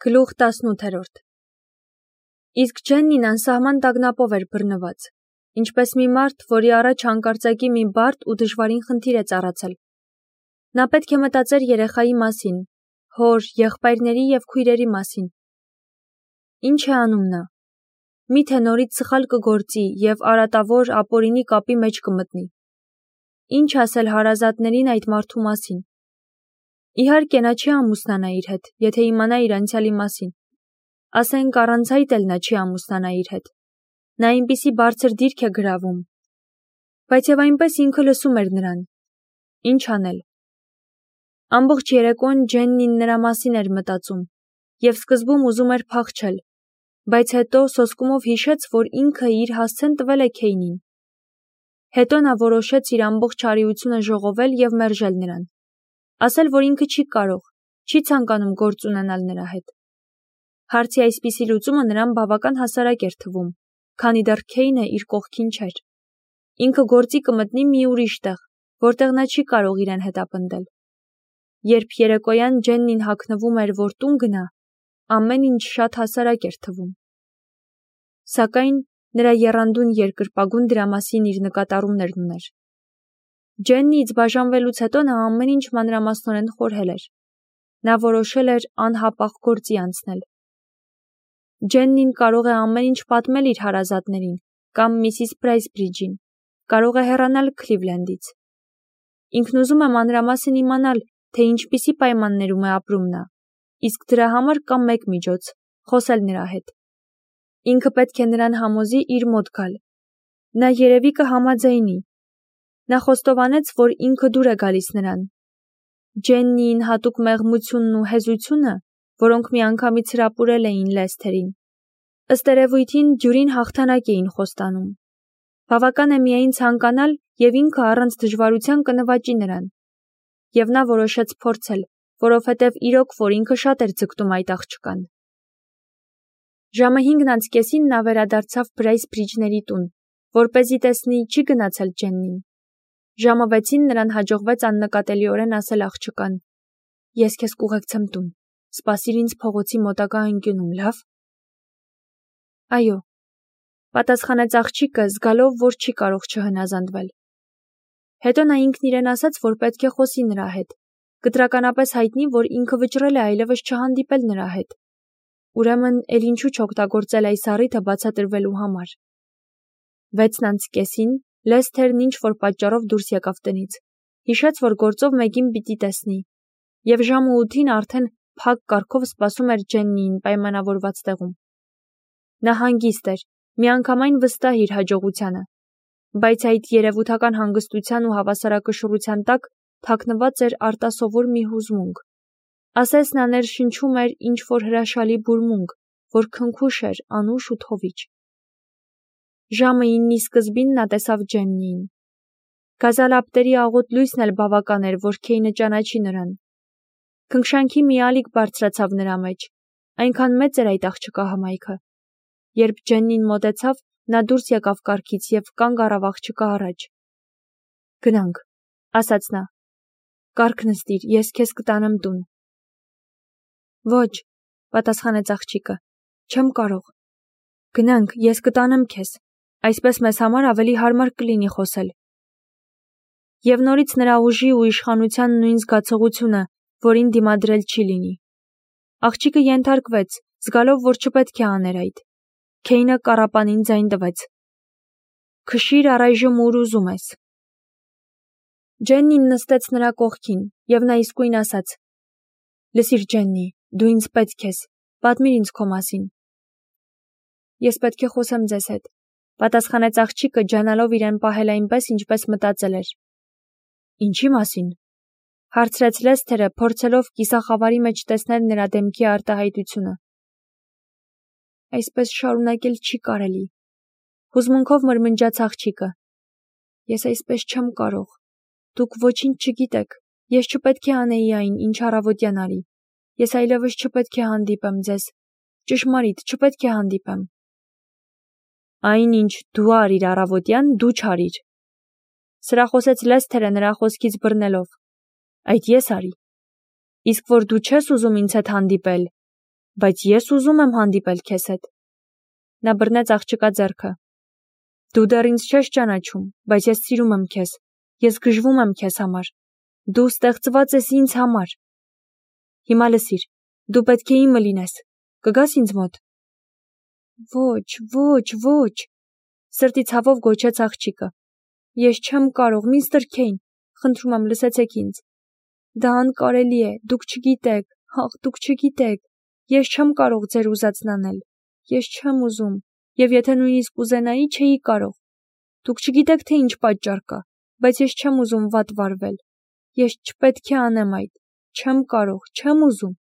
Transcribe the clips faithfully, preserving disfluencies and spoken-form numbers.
Գլուխ տասնութերորդ Իսկ Ջեննին անսահման տագնապով էր բռնված, ինչպես մի մարդ, որի առաջ հանկարծակի մի բարդ ու դժվարին խնդիր է ծառացել։ Նա պետք է մտածեր երեխայի մասին, հոր, եղբայրների և քույրերի մասին։ Ինչ է անում նա։ Միթե նորից սխալ կգործի և արատավոր ապօրինի կապի մեջ կմտնի։ Ինչ ասել հարազատներին այդ մարդու մասին։ Իհարկե նա չի ամուսնանա իր հետ, եթե իմանա իր անցյալի մասին։ Ասենք առանց այդ էլ նա չի ամուսնանա իր հետ։ Նա այնպիսի բարձր դիրք է գրավում։ Բայց և այնպես ինքը լսում էր նրան։ Ինչ անել։ Ամբողջ երեկոն Ջեննին նրա մասին էր մտածում և սկզբում ուզում էր փախչել, բայց հետո սոսկումով հիշեց, որ ինքը իր հասցեն տվել է Քեյնին։ Հետո նա որոշեց իր ամբողջ արիությունը ժողովել և մերժել նրան։ Ասել, որ ինքը չի կարող, չի ցանկանում գործ ունենալ նրա հետ։ Հարցի այսպիսի լուծումը նրան բավական հասարակ էր թվում, քանի դեռ Քեյնը իր կողքին չէր։ Ինքը գործի կմտնի մի ուրիշ տեղ, որտեղ նա չի կարող իրեն հետապնդել։ Երբ երեկոյան Ջեննին հագնվում էր, որ տուն գնա, ամեն ինչ շատ հասարակ էր թվում։ Սակայն նրա եռանդուն երկրպագուն դրա մասին իր նկատառումներն ուներ։ Ջեննիից բաժանվելուց հետո նա ամեն ինչ մանրամասնորեն խորհել էր։ Նա որոշել էր անհապաղ գործի անցնել։ Ջեննին կարող է ամեն ինչ պատմել իր հարազատներին կամ միսիս Բրայսբրիջին, կարող է հեռանալ Քլիվլենդից։ Ինքն ուզում է մանրամասն իմանալ, թե ինչպիսի պայմաններում է ապրում նա, իսկ դրա համար կա մեկ միջոց՝ խոսել նրա հետ։ Ինքը պետք է նրան համոզի իր մոտ գալ։ Նա երևի կհամաձայնի։ Նա խոստովանեց, որ ինքը դուր է գալիս նրան։ Ջեննիին հատուկ մեղմությունն ու հեզությունը, որոնք միանգամից հրապուրել էին Լեսթերին, ըստ երևույթին դյուրին հաղթանակ էին խոստանում։ Բավական է միայն ցանկանալ, և ինքը առանց դժվարության կնվաճի նրան։ Եվ նա որոշեց փորձել, որովհետև իրոք որ ինքը շատ էր ձգտում այդ աղջկան։ Ժամը հինգն անց կեսին նա վերադարձավ Բրայսբրիջների տուն, որպեսզի տեսնի չի գնացել Ջեննին։ Ժամը վեցին նրան հաջողվեց աննկատելիորեն ասել աղջկան. «Ես քեզ կուղեկցեմ տուն, սպասիր ինձ փողոցի մոտակա անկյունում, լավ»։ «Այո», պատասխանեց աղջիկը, զգալով, որ չի կարող չհնազանդվել։ Հետո նա ինքն իրեն ասաց, որ պետք է խոսի նրա հետ, կտրականապես հայտնի, որ ինքը վճռել է այլևս չհանդիպել նրա հետ։ Ուրեմն էլ ինչու չօգտագործել այս առիթը բացատրվելու համար։ Վեցն անց կեսին Լեսթերն ինչ-որ պատճառով դուրս եկավ տնից, հիշեց, որ գործով մեկին պիտի տեսնի, և ժամը ութին արդեն փակ կառքով սպասում էր Ջեննիին պայմանավորված տեղում։ Նա հանգիստ էր, միանգամայն վստահ իր հաջողությանը, բայց այդ երևութական հանգստության ու հավասարակշռության տակ թաքնված էր արտասովոր մի հուզմունք։ Ասես նա ներշնչում էր ինչ-որ հրաշալի բուրմունք, որ քնքուշ էր, անուշ ու թովիչ։ Ժամը իննի սկզբին նա տեսավ Ջեննիին։ Գազալապտերի աղոտ լույսն էլ բավական էր, որ Քեյնը ճանաչի նրան։ Քնքշանքի մի ալիք բարձրացավ նրա մեջ, այնքան մեծ էր այդ աղջկա հմայքը։ Երբ Ջեննին մոտեցավ, նա դուրս եկավ կառքից և կանգ առավ աղջկա առաջ։ «Գնանք», ասաց նա։ «Կառք նստիր, ես քեզ կտանեմ տուն»։ «Ոչ», պատասխանեց աղջիկը, «չեմ կարող»։ «Գնանք, ես կտանեմ քեզ, այսպես մեզ համար ավելի հարմար կլինի խոսել»։ Եվ նորից նրա ուժի ու իշխանության նույն զգացողությունը, որին դիմադրել չի լինի։ Աղջիկը ենթարկվեց, զգալով, որ չպետք է աներ այդ։ Քեյնը կառապանին ձայն տվեց. «Քշիր առայժմ ուր ուզում ես»։ Ջեննին նստեց նրա կողքին, և նա իսկույն ասաց. «Լսիր, Ջեննի, դու ինձ պետք ես, պատմիր ինձ քո մասին»։ «Ես պետք է խոսեմ ձեզ հետ», պատասխանեց աղջիկը, ջանալով իրեն պահել այնպես, ինչպես մտածել էր։ «Ինչի մասին», հարցրեց Լեսթերը, փորձելով կիսախավարի մեջ տեսնել նրա դեմքի արտահայտությունը։ «Այսպես շարունակել չի կարելի», հուզմունքով մրմնջաց աղջիկը։ «Ես այսպես չեմ կարող։ Դուք ոչինչ չգիտեք, ես չպետք է անեի այն, ինչ առավոտյան արի։ Ես այլևս չպետք է հանդիպեմ ձեզ, ճշմարիտ, չպետք է հանդիպեմ»։ «Այն, ինչ դու արիր առավոտյան, դու չարիր», սրախոսեց Լեսթերը նրա խոսքից բռնելով։ «Այդ ես արի։ Իսկ որ դու չես ուզում ինձ հետ հանդիպել, Բայց ես ուզում եմ հանդիպել քեզ հետ։ Նա բռնեց աղջկա ձեռքը։ Դու դեռ ինձ չես ճանաչում, բայց ես սիրում եմ քեզ։ Ես գժվում եմ քեզ համար։ Դու ստեղծված ես ինձ համար։ Հիմա լսիր, դու պետք է իմը լինես։ Կգաս ինձ մոտ։ Ոչ, ոչ, ոչ, սրտի ցավով գոչեց աղջիկը։ Ես չեմ կարող, միստր Քեյն, խնդրում եմ, լսեցեք ինձ։ Դա անկարելի է, դուք չգիտեք, ախ, դուք չգիտեք։ Ես չեմ կարող ձեր ուզածն անել։ Ես չեմ ուզում, եւ եթե նույնիսկ ուզենայի, չէի կարող։ Դուք չգիտեք, թե ինչ պատճառ կա, բայց ես չեմ ուզում վատ վարվել։ Ես չպետք է անեմ այդ։ Չեմ կարող, չեմ ուզում։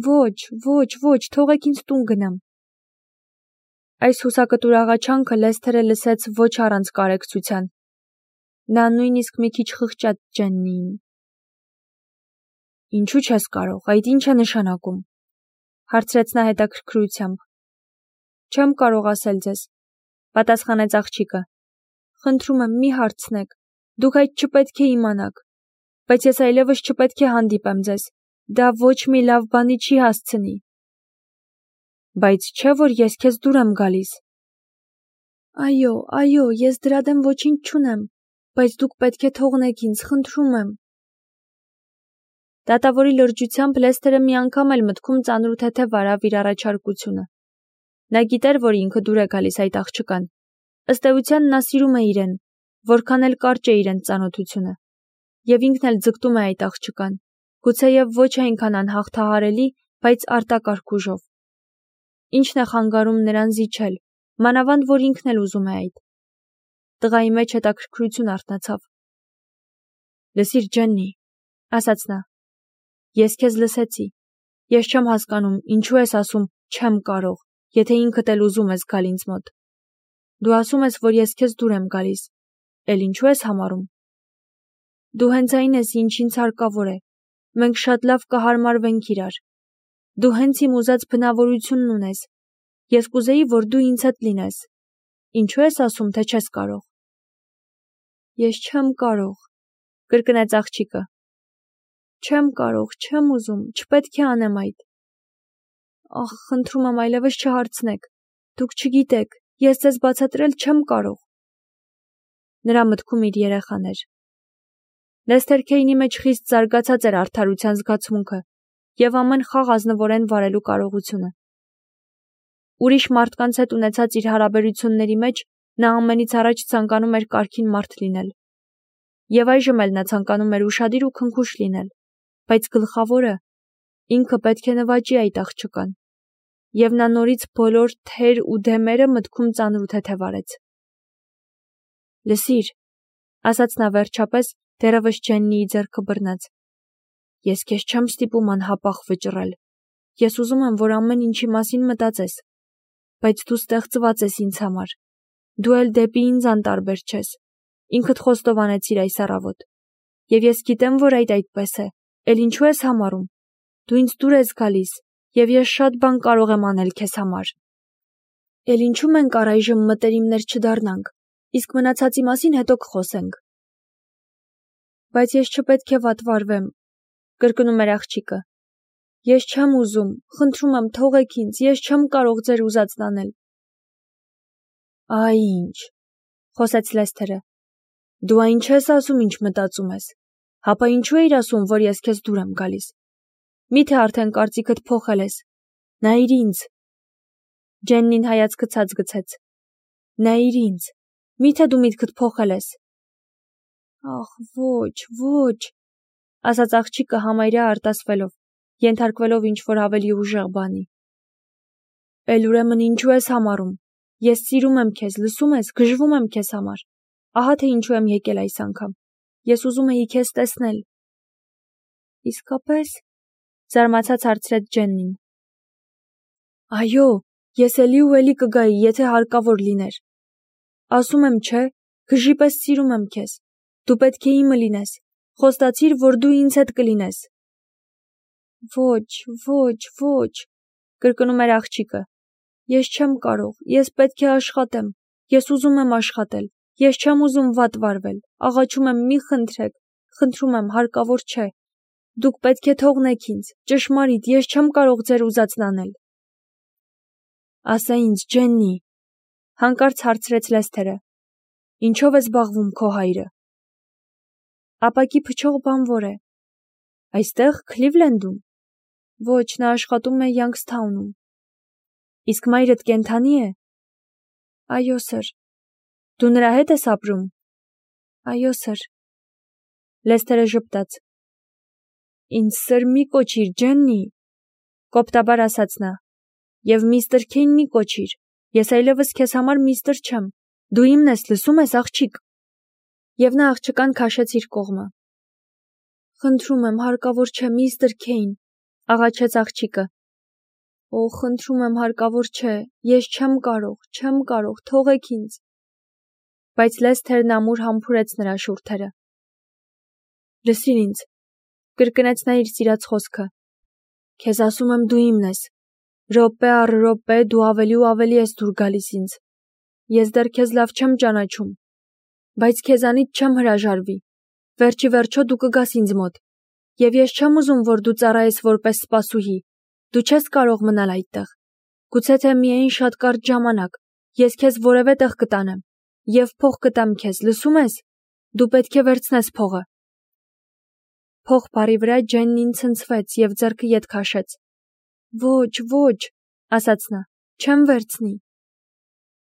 Ոչ, ոչ, ոչ, թողեք ինձ տուն գնամ։ Այս հուսակտուր աղաչանքը Լեսթերը լսեց ոչ առանց կարեկցության։ Նա նույնիսկ մի քիչ խղճաց Ջեննիին։ Ինչու չես կարող, այդ ինչ է նշանակում, հարցրեց նա հետաքրքրությամբ։ Չեմ կարող ասել ձեզ, պատասխանեց աղջիկը։ Խնդրում եմ, մի հարցնեք, դուք այդ չպետք է իմանաք, բայց ես այլևս չպետք է հանդիպեմ ձեզ, դա ոչ մի լավ բանի չի հասցնի։ Բայց չէ՞ որ ես քեզ դուր եմ գալիս։ Այո, այո, ես դրա դեմ ոչինչ չունեմ, բայց դուք պետք է թողնեք ինձ, խնդրում եմ։ Դատավորի լրջությամբ Լեսթերը մի անգամ էլ մտքում ծանրութեթև արավ իր առաջարկությունը։ Նա գիտեր, որ ինքը դուր է գալիս այդ աղջկան։ Ըստ էության նա սիրում է իրեն, որքան էլ կարճ է իրենց ծանոթությունը։ Եվ ինքն էլ ձգտում է այդ աղջկան, գուցեև ոչ այնքան անհաղթահարելի, բայց արտակարգ ուժով։ Ինչն է խանգարում նրան զիջել, մանավանդ որ ինքն էլ ուզում է այդ։ Տղայի մեջ հետաքրքրություն արթնացավ։ Լսիր, Ջեննի, ասաց նա, ես քեզ լսեցի։ Ես չեմ հասկանում, ինչու ես ասում չեմ կարող, եթե ինքդ էլ ուզում ես գալ ինձ մոտ։ Դու ասում ես, որ ես քեզ դուր եմ գալիս, էլ ինչու ես համարում։ Դու հենց այն ես, ինչ ինձ հարկավոր է։ Մենք շատ լավ կհարմարվենք իրար։ Դու հենց իմ ուզած բնավորությունն ունես։ Ես կուզեի, որ դու ինձ հետ լինես։ Ինչու ես ասում, թե չես կարող։ Ես չեմ կարող, կրկնեց աղջիկը։ Չեմ կարող, չեմ ուզում, չպետք է անեմ այդ։ Ախ, խնդրում եմ, այլևս չհարցնեք։ Դուք չգիտեք, ես ձեզ բացատրել չեմ կարող։ Նրա մտքում իր երեխան էր։ Լեսթեր Քեյնի մեջ խիստ զարգացած էր արդարության զգացմունքը եւ ամեն խաղ ազնվորեն վարելու կարողությունը։ Ուրիշ մարդկանց հետ ունեցած իր հարաբերությունների մեջ նա ամենից առաջ ցանկանում էր կարգին մարդ լինել։ Եվ այժմ էլ նա ցանկանում էր ուշադիր ու քնքուշ լինել, բայց գլխավորը ինքը պետք է նվաճի այդ աղջկան։ Եվ նա նորից բոլոր թեր ու դեմերը մտքում ծանրութեթև արեց։ Լսիր, ասաց նա վերջապես, դեռևս Ջեննիի ձեռքը բռնած։ Ես քեզ չեմ ստիպում անհապաղ վճռել։ Ես ուզում եմ, որ ամեն ինչի մասին մտածես, բայց դու ստեղծված ես ինձ համար։ Դու էլ դեպի ինձ անտարբեր չես։ Ինքդ խոստովանեցիր այս առավոտ։ Եվ ես գիտեմ, որ այդ այդպես է, էլ ինչու ես համարում։ Դու ինձ դուր ես գալիս, եւ ես շատ բան կարող եմ անել քեզ համար։ Էլ ինչու մենք առայժմ մտերիմներ չդառնանք, իսկ մնացածի մասին հետո կխոսենք։ Բայց ես չպետք է վատ վարվեմ, կրկնում էր աղջիկը։ Ես չեմ ուզում, խնդրում եմ, թողեք ինձ, ես չեմ կարող ձեր ուզածն անել։ Այ ինչ, խոսեց Լեսթերը։ Դու այն չես ասում, ինչ մտածում ես։ Հապա ինչու էիր ասում, որ ես քեզ դուր եմ գալիս։ Միթե արդեն կարծիքդ փոխել ես։ Նայիր ինձ։ Ջեննին հայացքը ցած գցեց։ Նայիր ինձ։ Միթե դու միտքդ փոխել ես։ Ախ, ոչ, ոչ, ասաց աղջիկը համարյա արտասվելով, ենթարկվելով ինչ-որ ավելի ուժեղ բանի։ Էլ ուրեմն ինչու ես համարում։ Ես սիրում եմ քեզ, լսում ես, գժվում եմ քեզ համար։ Ահա թե ինչու եմ եկել այս անգամ։ Ես ուզում էի քեզ տեսնել։ Իսկապես, զարմացած հարցրեց Ջեննին։ Այո, ես էլի ու էլի կգայի, եթե հարկավոր լիներ։ Ասում եմ, չէ, գժի պես սիրում եմ քեզ։ Դու պետք է իմը լինես։ Խոստացիր, որ դու ինձ հետ կլինես։ Ոչ, ոչ, ոչ, կրկնում էր աղջիկը։ Ես չեմ կարող, ես պետք է աշխատեմ։ Ես ուզում եմ աշխատել։ Ես չեմ ուզում վատ վարվել։ Աղաչում եմ, մի խնդրեք, խնդրում եմ, հարկավոր չէ։ Դուք պետք է թողնեք ինձ։ Ճշմարիտ, ես չեմ կարող ձեր ուզածն անել։ Ասա ինձ, Ջեննի, հանկարծ հարցրեց Լեսթերը, ինչով է զբաղվում քո հայրը։ Ապակի փչող բանվոր է։ Այստեղ, Քլիվլենդում։ Ոչ, նա աշխատում է Յանգսթաունում։ Իսկ մայրդ կենդանի է։ Այո, սր։ Դու նրա հետ ես ապրում։ Այո, սր։ Լեսթերը ժպտաց։ Ինձ սր մի կոչիր, Ջեննի, կոպտաբար ասաց նա, և միստր Քեյն մի կոչիր, ես այլևս քեզ համար միստր չեմ, դու իմն ես, լսում ես, աղջիկ։ Եվ նա աղջկան քաշեց իր կողմը։ Խնդրում եմ, հարկավոր չէ, միստր Քեյն, աղաչեց աղջիկը։ Օ, խնդրում եմ, հարկավոր չէ, ես չեմ կարող, չեմ կարող, թողեք ինձ։ Բայց Լեսթերն ամուր համբուրեց նրա շուրթերը։ Լսիր ինձ, կրկնեց նա իր սիրած խոսքը։ Քեզ ասում եմ, դու իմն ես։ Րոպե առ րոպե դու ավելի ու ավելի ես դուր գալիս ինձ։ Ես դեռ քեզ լավ չեմ ճանաչում, բայց քեզանից չեմ հրաժարվի։ Վերջի վերջո դու կգաս ինձ մոտ։ Եվ ես չեմ ուզում, որ դու ծառայես որպես սպասուհի։ Դու չես կարող մնալ այդտեղ։ Գուցե թե միայն շատ կարճ ժամանակ, ես քեզ որևէ տեղ կտանեմ, և փող կտամ քեզ, լսում ես։ Դու պետք է վերցնես փողը։ Փող բառի վրա Ջեննին ցնցվեց և ձեռքը ետ քաշեց։ Ոչ, ոչ, ասաց նա, չեմ վերցնի։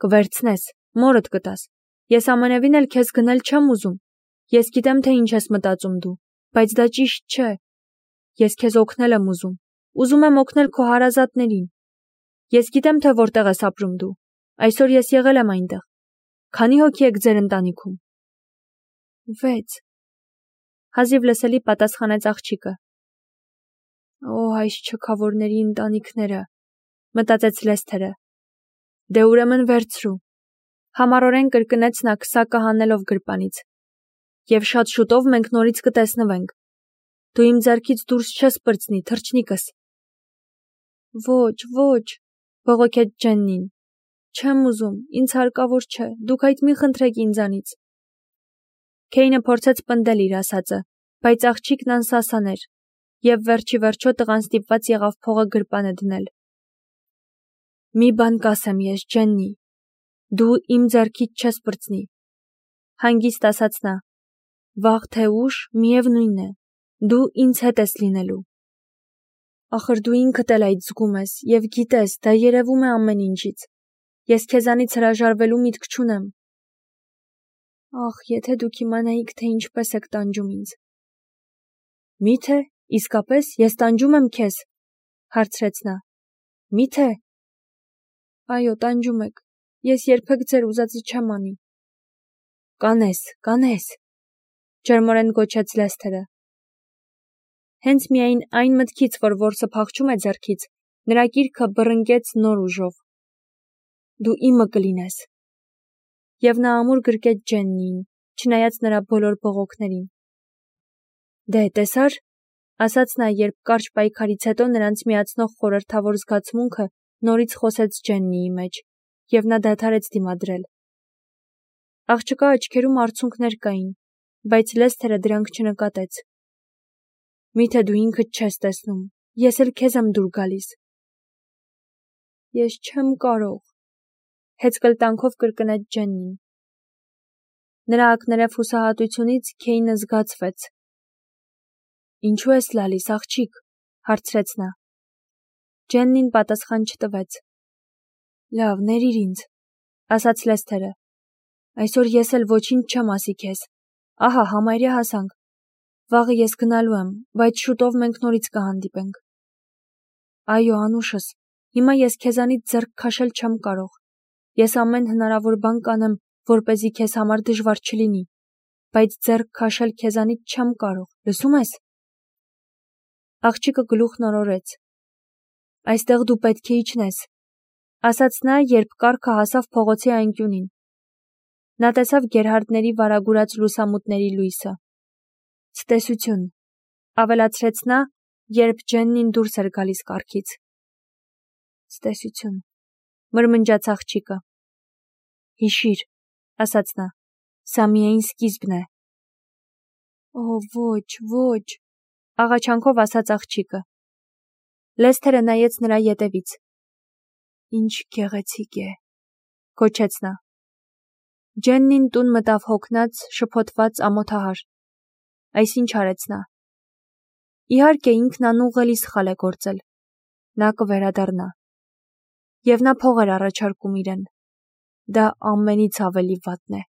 Կվերցնես, մորդ կտաս։ Ես ամենևին էլ քեզ գնել չեմ ուզում։ Ես գիտեմ, թե ինչ ես մտածում դու, բայց դա ճիշտ չէ։ Ես քեզ օգնել եմ ուզում։ Ուզում եմ օգնել քո հարազատներին։ Ես գիտեմ, թե որտեղ ես ապրում դու։ Այսօր ես եղել եմ այնտեղ։ Քանի հոգի եք ձեր ընտանիքում։ Վեց։ Հազիվ լսելի պատասխանեց աղջիկը։ Օ, այս չքավորների ընտանիքները, մտածեց Լեսթերը։ Դե ուրեմն վերցրու։ Համառորեն կրկնեց նա քսակը հանելով գրպանից։ Եվ շատ շուտով մենք նորից կտեսնվենք։ Դու իմ ձեռքից դուրս չես պրծնի, թռչնիկս։ Ոչ, ոչ, բողոքեց Ջեննին։ Չեմ ուզում, ինձ հարկավոր չէ, դուք այդ մի խնդրեք ինձանից։ Քեյնը փորձեց պնդել իր ասածը, բայց աղջիկն անսասան էր, և վերջի վերջո տղան ստիպված եղավ փողը գրպանը դնել։ Մի բան կասեմ ես, Ջեննի, դու իմ ձեռքից չես պրծնի, հանգիստ ասաց նա։ Վաղ թե ուշ, միևնույն է, դու ինձ հետ ես լինելու։ Ախր դու ինքդ էլ այդ զգում ես և գիտես, դա երևում է ամեն ինչից։ Ես քեզանից հրաժարվելու միտք չունեմ։ Ախ, եթե դուք իմանայիք, թե ինչպես եք տանջում ինձ։ Մի՞թե, իսկապես, ես տանջում եմ քեզ, հարցրեց նա։ Մի՞թե։ Այո, տանջում եք։ Ես երբեք ձեր ուզածը չեմ անի։ Կանես, կանես, ջերմորեն գոչեց Լեսթերը։ Հենց միայն այն մտքից, որ որսը փախչում է ձեռքից, նրա կիրքը բռնկեց նոր ուժով։ Դու իմը կլինես։ Եվ նա ամուր գրկեց Ջեննիին, չնայած նրա բոլոր բողոքներին։ Դե, տեսար, ասաց նա, երբ կարճ պայքարից հետո նրանց միացնող խորհրդավոր զգացմունքը նորից խոսեց Ջեննիի մեջ, և նա դադարեց դիմադրել։ Աղջկա աչքերում արցունքներ կային, բայց Լեսթերը դրանք չնկատեց։ Միթե դու ինքդ չես տեսնում, ես էլ քեզ եմ դուր գալիս։ Ես չեմ կարող, հեծկլտանքով կրկնեց Ջեննին։ Նրա ակներև հուսահատությունից Քեյնը զգացվեց։ Ինչու ես լալիս, աղջիկ, հարցրեց նա։ Ջեննին պատասխան չտվեց։ Լավ, ներիր ինձ, ասաց Լեսթերը։ Այսօր ես էլ ոչինչ չեմ ասի քեզ։ Ահա, համարյա հասանք։ Վաղը ես գնալու եմ, բայց շուտով մենք նորից կհանդիպենք։ Այո, անուշս, հիմա ես քեզանից ձեռք քաշել չեմ կարող։ Ես ամեն հնարավոր բան կանեմ, որպեսզի քեզ համար դժվար չլինի, բայց ձեռք քաշել քեզանից չեմ կարող, լսում ես։ Աղջիկը գլուխն օրորեց։ Այստեղ դու պետք է իջնես, ասաց նա, երբ կառքը հասավ փողոցի անկյունին։ Նա տեսավ գերհարդների վարագուրած լուսամուտների լույսը։ Ցտեսություն, ավելացրեց նա, երբ Ջեննին դուրս էր գալիս կառքից։ Ցտեսություն, մրմնջաց աղջիկը։ Հիշիր, ասաց նա, սա միայն սկիզբն է։ Օ, ոչ, ոչ, աղաչանքով ասաց աղջիկը։ Լեսթերը նայեց նրա ետևից։ Ինչ գեղեցիկ է, գոչեց նա։ Ջեննին տուն մտավ հոգնած, շփոթված, ամոթահար։ Այս ինչ արեց նա։ Իհարկե ինքն անուղղելի սխալ է գործել։ Նա կվերադառնա։ Եվ նա փող էր առաջարկում իրեն։ Դա ամենից ավելի վատն է։